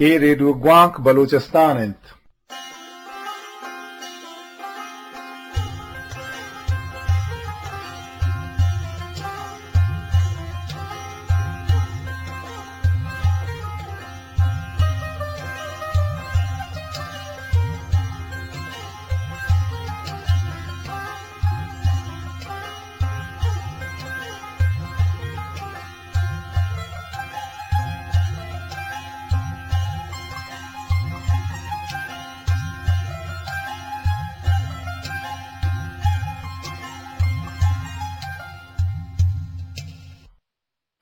اے ریڈیو گوانک بلوچستان انت۔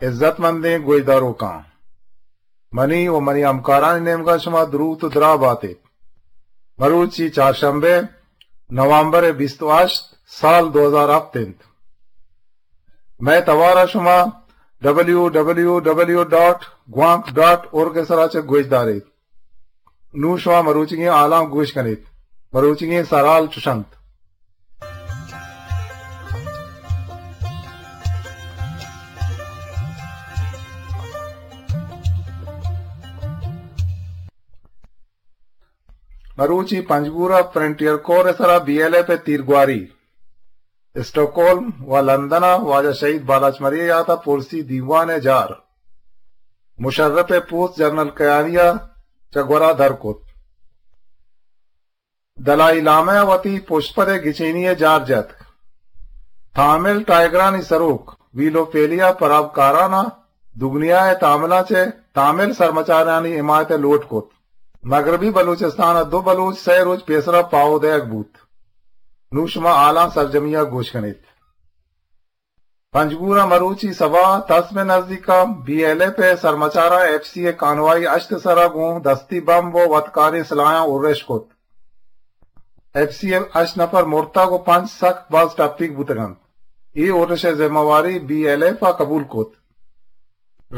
عزت مندیں گوشداروکاں، منی و منی ہمکارانی نیمگا شما دروت و دراہ بات ایت۔ مروچی چارشنبے، نومبر بیست و ہشت، سال دو ہزار ہفت انت۔ مئے توارا شما ڈبلیو ڈبلیو ڈبلیو ڈاٹ گوانک ڈاٹ اورگ ء سرا چہ گوش داریت۔ نوں شما مروچیگیں حالاں گوش کنیت۔ مروچیگیں سرحال چش انت۔ مروچی پنجگور ء فرنٹیئر کور ء سرا بی ایل ایف ء تیرگواری۔ اسٹاکہولم و لندن ء واجہ شہید بالاچ مری ء یات ء پرسی دیوان ء جار۔ مشرف ء پوست جنرل کیانی ء چہ گورا در کت۔ دلائی لامہ ء وتی پشپد ء گچینی ء جار جتگ۔ تامل ٹائیگرانی سروک ویلوپیلیا پرابکاران ء دگنیا ء تاملاں چہ تامل سرمچارانی حمایت ء لوٹ کت۔ مغربی بلوچستان ء دو بلوچ سئے روچ پیسرا پاہو دئیگ بوت۔ نوں شما حالاں سرجمی ء گوش کنیت۔ پنجگور ء مروچی سبا تسم ء نزیکا بی ایل ایف ء سرمچاراں ایف سی ء کانوائی ہشت ء سرا گوں دستی بمب و وتکاریں سلاحاں ارش کت۔ ایف سی ء ہشت نفر مرتگ و پنچ سک باز ٹپیگ بوتگ انت۔ اے ارش ء ذمہ واری بی ایل ایف ء قبول کت۔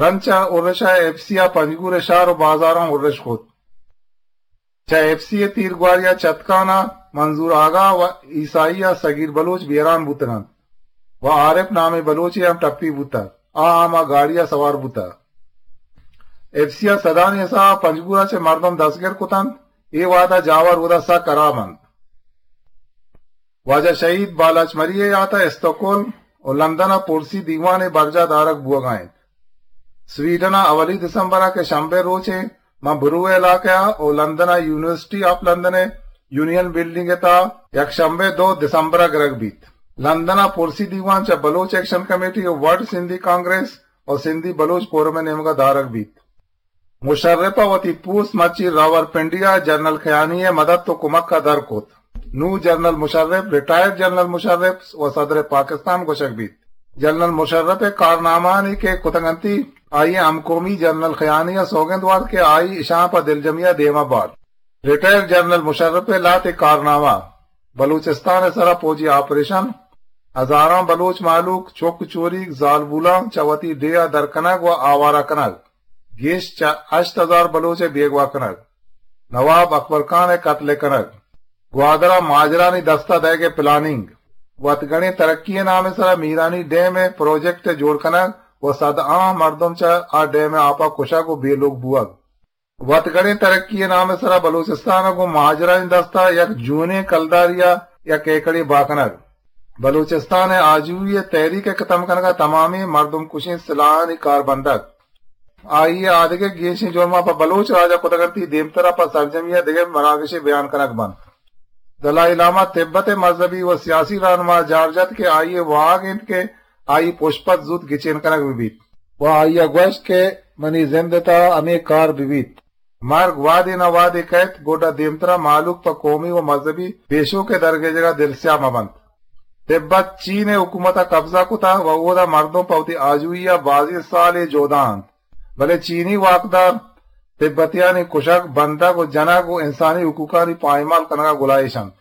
رند چہ ارش ء ایف سی ء پنجگور ء شہر و بازاراں ارش کت۔ چہ ایف سی ء تیرگواری ء چتکان ء منظور آغا و عیسائی ء صغیر بلوچ بیران بوتگ انت و عارف نامیں بلوچے ہم ٹپی بوتگ، آ ہم آ گاڑی ء سوار بوتگ۔ ایف سی ء سدانی حساب ء پنجگور ء چہ مردم دستگر کت انت، اے وہد ء جاور اودا سک ہراب انت۔ واجہ شہید بالاچ مری ء یات ء استکہولم و لندن ء پرسی دیوانے برجاہ دارگ بوہگا انت۔ سویڈن ء اولی دسمبر ء کہ شنبے روچے ماں برو ء علاقہ ء و لندن ء یونیورسٹی آف لندن ء یونین بلڈنگ ء تہا یک شنبے دو دسمبر ء گرگ بیت۔ لندن ء پرسی دیوان چہ بلوچ ایکشن کمیٹی و ورلڈ سندھی کانگریس و سندھی بلوچ فورم ء نیمگ ء دارگ بیت۔ مشرف ء وتی پوست مرچی راولپنڈی ء جنرل خیانی ء مدد و کمک ء در کت۔ نوں جنرل مشرف ریٹائرڈ جنرل مشرف و صدر پاکستان گوشگ بیت۔ جنرل مشرف ء کارنامہانی کہ کتگ انتی، آئی ء ہمکومی جنرل خیانی ء سوگند وارت کہ آئی اشاں پہ دلجمی ء دیما بارت۔ ریٹائرڈ جنرل مشرف ء لہتے کارنامہ بلوچستان ء سرا پوجی آپریشن، ہزاراں بلوچ مہلوک چک چوریگ زالبولاں چہ وتی ڈیہہ ء در کنگ و آوارہ کنگ، گیش چہ ہشت ہزار بلوچ ء بیگواہ کنگ، نواب اکبر خان ء قتل ء کنگ، گوادر ء مہاجرانی دست ء دئیگ ء پلاننگ، وتگڑیں ترقی ء نام ء سرا میرانی ڈیم ء پروجیکٹ ء جوڑ کنگ و صد آں مردم چہ آ ڈیم ء آپ ء کشگ و بے لوگ بوگ۔ وتگڑیں ترقی ء نام ء سرا بلوچستان ء گوں مہاجرانی دست ء یک جونیں کلداری ء یک ایکڑے بہا کنگ۔ بلوچستان ء آجوئی ء تحریک ء ختم کنگ ء تمامیں مردم کشیں سلاہانی کار بندگ۔ آئی ء آدگہ گیشیں جرماں پہ بلوچ راج ء کتگ انت، دیمترا پہ سرجمی ء دگہ مراگشے بیان کنگ بنت۔ دلائی لامہ تبت ء مذہبی و سیاسی رہنما جار جت کہ آئی ء واہگ انت کہ آئی پشپت زوت گچین کنگ بہ بیت و آئی ء گوشت کہ منی زند ء تہا ہمے کار بہ بیت۔ مرگ وہدے نہ وہدے کئیت، گڈا دیمترا مہلوک پہ قومی و مذہبی پیشوک ء درگیجگ ء دلسیاہ مہ بنت۔ تبت چین ء حکومت ء قبضہ کتہ و اودا مردم پہ وتی آجوئی ء بازیں سالے جہدا انت، بلے چینی واکدار تبتیانی کشگ، بندگ و جنگ و انسانی حقوقانی پائمال کنگ ء گلائیش انت۔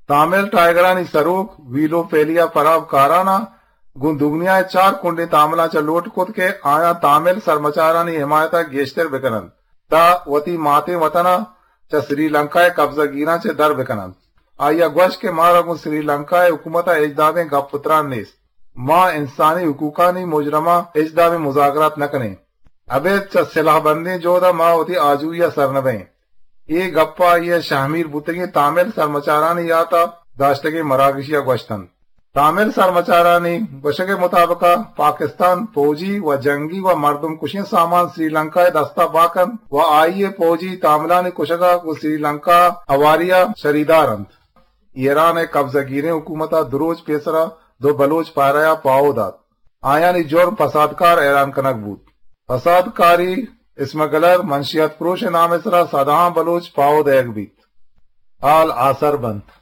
تامل ٹائیگرانی سروک ویلو پیلیا پراب کارانا گوں دگنیا ء چار کنڈیں تاملاں چہ لوٹ کت کہ آیاں تامل سرمچارانی حمایت ء گیشتر بکن انت تاں وتی ماتیں وطن ء چہ سری لنکا ء قبضہ گیراں چہ در بکن انت۔ آئی ء گوشت کہ مارا گوں سری لنکا ء حکومت ء ہچ دابیں گپ و تران نیست۔ ما انسانی حقوقانی مجرماں ہچ دابیں مذاکرات نہ کنیں۔ ابید چہ سلاہ بندیں جہد ء ما وتی آجوئی ء سر نہ بئیں۔ اے گپ ء آئی ء شہمیر بوتگیں تامل سرمچارانی یات ء داشتگیں مراگشی ء گوشت انت۔ تامل سرمچارانی گوشگ ء مطابق ء پاکستان پوجی و جنگی و مردم کشیں سامان سری لنکا ء دست ء بہا کنت و آئی ء پوجی تاملانی کشگ ء گوں سری لنکا ء ہواری ء شریدار انت۔ ایران ء قبضہ گیریں حکومت ء دو روچ پیسرا دو بلوچ پہرہ ء پاہو دات۔ آیانی جرم پسادکار اعلان کنگ بوت۔ پسادکاری، اسمگلر، منشیات پروش ء نام ء سرا سدہاں بلوچ پاہو دئیگ بیت۔ حال آسر بنت۔